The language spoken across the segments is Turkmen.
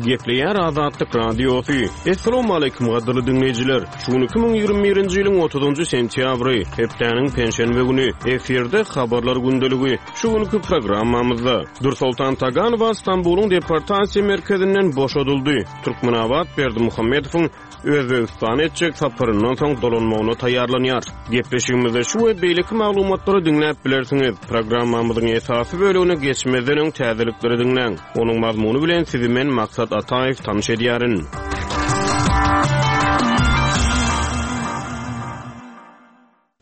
Gepleýär Azatlyk Radiosy. Assalamualaikum gadyrly diňleýjiler. Şu gün 2021-nji ýylyň 30-njy sentýabry, hepdäniň penşenbe güni. Efirde habarlar gündeligi. Şu günki programmamyzda Dürsoltan Taganowa Stambulyň deportasiýa merkezinden boşadyldy. Türkmenabat Berdimuhamedowyň Özbegistana etjek saparyndan soň dolanmagyna taýýarlanýar. Gepleşigimizde şu we beýleki maglumatlary diňläp bilersiňiz. Programmamyzyň esasy bölegine geçmezden öň täzelikleri diňläň. Onuň mazmuny bilen sizi men Maksat Ataýew tanyş edýärin.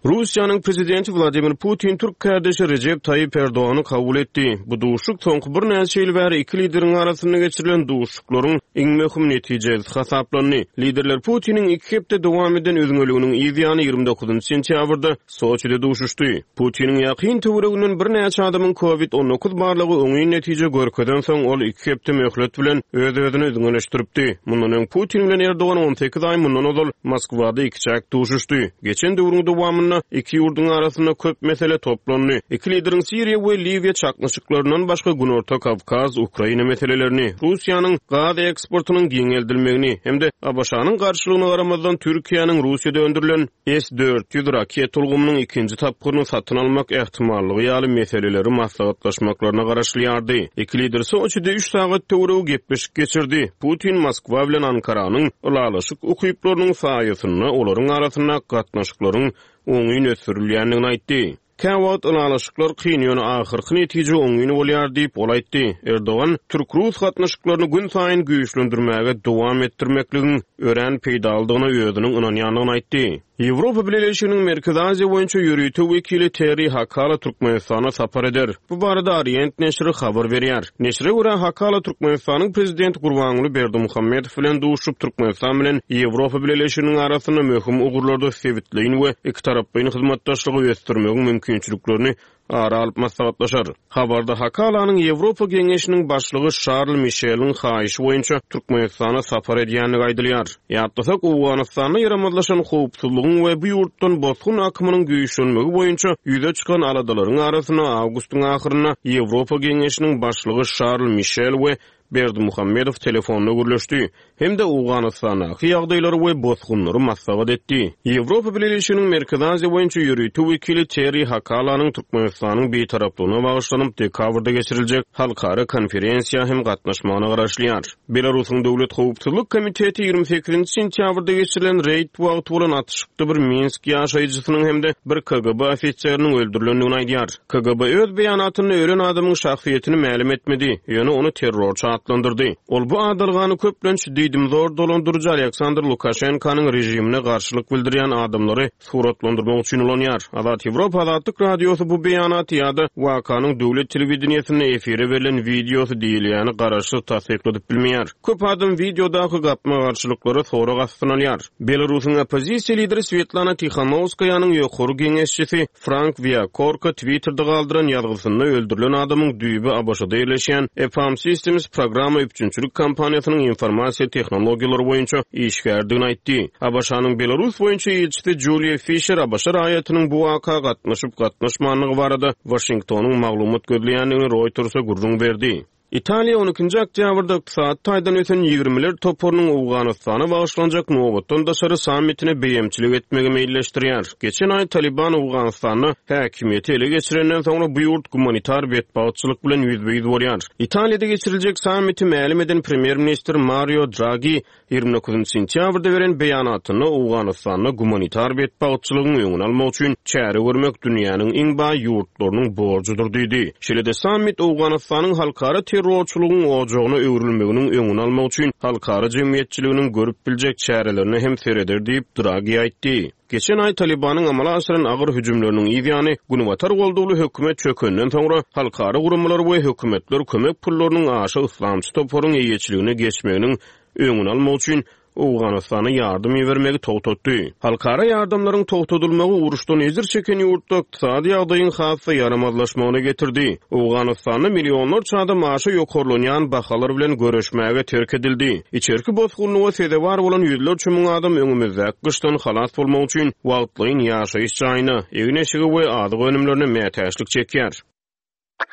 Russiýanyň Prezidenti Wladimir Putin türk kärdeşi Rejep Taýyp Erdogany kabul etdi. Bu duşuşyk soňky birnäçe ýyl bäri iki lideriň arasynda geçirilen duşuşyklaryň iň möhüm netijelisi hasaplandy. Liderler Putiniň iki hepde dowam eden üzňeliginiň yz ýany 29 sentýabrda Soçide duşuşdy. Putiniň ýakyn töwereginden birnäçe adamyň Covid 19 barlagy oňyn netije görkezensoň, ol iki hepde möhlet bilen öz-özüni üzňeleşdiripdi. Mundan öň Putin bilen Erdogan 18 aý mundan ozal Moskwada ikiçäk duşuşdy. Geçen döwrüň dowamynda iki ýurduň arasynda köp mesele toplandy. Iki lideriň Siriýa we Liwiýa çaknyşyklaryndan başga Günorta Kawkaz, Ukraina meselelerini, Russiýanyň gaz eksportynyň giňeldilmegini hem-de ABŞ-nyň garşylygyna garamazdan Türkiýäniň Russiýada öndürilen S-400 raketa ulgamynyň ikinji tapgyryny satyn almak ähtimallygy ýaly meseleleri maslahatlaşmaklaryna garaşylýardy. Iki lider Soçide üç sagat töweregi gepleşik geçirdi. Putin Moskwa bilen Ankaranyň ylalaşyk ukyplarynyň saýasynda olaryň arasynda gatnaşyklaryň oňyn ösdürilýändigini aýtdy. Käwagt ylalaşyklar kyn, ýöne ahyrky netije oňyn bolýar diýip, ol aýtdy. Erdogan türk-rus gatnaşyklaryny günsaýyn güýçlendirmäge dowam etdirmekligiň örän peýdalydygyna özüniň ynanýandygyny aýtdy. Ýewropa Bileleşiginiň Merkezi Aziýa boýunça ýörite wekili Terri Hakala Türkmenistana sapar eder. Bu barada Orient neşiri habar berýär. Neşire görä, Hakala Türkmenistanyň Prezidenti Gurbanguly Berdimuhamedow bilen duşup, Türkmenistan bilen Ýewropa Bileleşiginiň arasynda möhüm ugurlarda sebitleýin we ikitaraplaýyn hyzmatdaşlygy ösdürmegiň mümkinçiliklerini ara alyp maslahatlaşar. Habarda Hakalanyň Ýewropa Geňeşiniň başlygy Şarl Mişeliň haýyşy boýunça Türkmenistana sapar edýändigi aýdylýar. Ýatlasak, Owganystanda ýaramazlaşan howpsuzlygyň we bu ýurtdan bosgun akymynyň güýçlenmegi boýunça ýüze çykan aladalaryň arasynda awgustyň ahyrynda Ýewropa Geňeşiniň başlygy Şarl Mişel we Berdimuhamedow telefonda gürleşdi hem-de Owganystandaky ýagdaýlary we bosgunlary maslahat etdi. Ýewropa Bileleşiginiň Merkezi Aziýa boýunça ýörite wekili Terri Hakalanyň Türkmenistanyň Bitaraplygyna bagyşlanyp dekabrda geçiriljek halkara konferensiýa hem gatnaşmagyna garaşylýar. Belarusyň Döwlet howpsuzlyk komiteti 28-nji sentýabrda geçirilen reýd wagty bolan atyşykda bir Minsk ýaşaýjysynyň hem-de bir KGB ofiseriniň öldürilendigini aýdýar. KGB öz beýanatynda ölen adamyň şahsyýetini mälim etmedi, ýöne ony terrorçy atlandyrdy. Ol bu adalgany köplenç diýdimzor dolandyryjy Aleksandr Lukaşenkanyň režimine garşylyk bildirýän adamlary suratlandyrmak üçin ulanýar. Azat Ýewropa Azatlyk Radiosy bu beýanaty ýa-da wakanyň döwlet telewideniýesinde efire berlen wideosy diýilýäni garaşsyz tassykladyp bilmeýär. Köp adam wideodaky gapma-garşylyklary sorag astyna alýar. Belarusyň oppozisiýa lideri Swetlana Tihanowskaýanyň ýokary geňeşçisi Frank Wiakorka Twitterde galdyran ýazgysynda öldürilen adamyň düýbi ABŞ-da ýerleşýän EPAM Systems programma üpjünçilik kompaniýasynyň informasiýa tehnologiýalary boýunça işgäridigini aýtdy. ABŞ-nyň Belarus boýunça ilçisi Juliýa Fişer ABŞ raýatynyň bu waka gatnaşyp-gatnaşmandygy barada Waşingtonyň maglumat gözleýändigini Reuters-e gürrüň berdi. Italiýa on ikinji oktýabrda ykdysady taýdan ösen ýigrimiler toparynyň Owganystana bagyşlanjak nobatdan daşary sammitine beýemçilik etmegi meýilleşdirýär. Geçen aý Talyban Owganystanda häkimiýeti ele geçirenden soňra bu ýurt gumanitar betbagtçylyk bilen ýüzbe-ýüz bolýar. Italiýada geçiriljek sammiti mälim eden premýer-ministr Mario Dragi 29 sentýabrda beren beýanatynda Owganystanda gumanitar betbagtçylygyň öňüni almak üçin çäre görmek dünýäniň iň baý ýurtlarynyň borjudyr diýdi. Şeýle-de sammit Owganystanyň halkara terrorçylygyň ojagyna öwrülmeginiň öňüni almak üçin halkara jemgyýetçiliginiň görüp biljek çärelerine hem sereder diýip, Dragi aýtdy. Geçen aý Talybanyň amala aşyran agyr hüjümleriniň yz ýany, Günbatar goldawly hökümet çökenden soňra, halkara guramalar we hökümetler kömek pullarynyň aşa yslamçy toparyň eýeçiligine geçmeginiň öňüni almak üçin Owganystana ýardam ibermegi togtatdy. Halkara ýardamlaryň togtadylmagy uruşdan ejir çeken ýurtda ykdysady ýagdaýyň has-da ýaramazlaşmagyna getirdi. Owganystanda millionlarça adam aşa ýokarlanýan bahalar bilen göreşmäge terk edildi. Içerki bosgunlyga sezewar bolan ýüzlerçe müň adam öňümizdäki gyşdan halas bolmak üçin wagtlaýyn ýaşaýyş jaýyna, egin-eşige we azyk önümlerine mätäçlik çekýär.